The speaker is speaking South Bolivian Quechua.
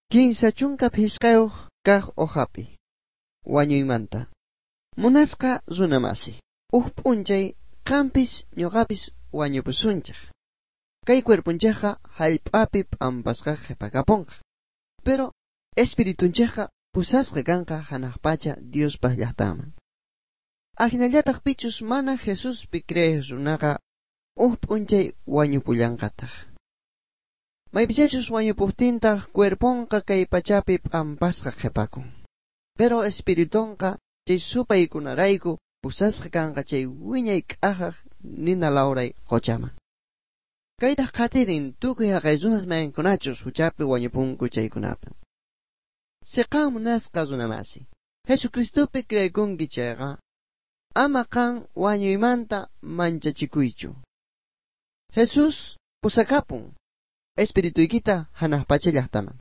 35 kaq hojapi wañuymanta. Munasqa runamasi, uj p'unchay qampis ñuqapis wañupusunchej. Kay cuerponchejqa hallp'api p'ampasqa qhipakaponqa. Pero espiritunchejqa pusasqa kanqa hanaq pacha Diospaq llaqtaman. Ajinallataq pichus mana Jesuspi creej runaqa uj p'unchay wañupullanqataq. Maypichachus wañupuqtintaq cuerponqa kay pachapi p'ampasqa qhipakun. Pero espiritunqa chay supaykunarayku pusasqa kanqa chay wiñay k'ajaj nina lawray quchaman. Kaytaq qhatirin tukuy haqay runas mayankunachus huchapi wañupunku chaykunapi. Siqan munasqa runamasi, Jesucristopi creekunki chayqa, ama qan wañuymanta manchachikuychu. Jesús pusakapun espirituykita hanaq pacha llaqtaman.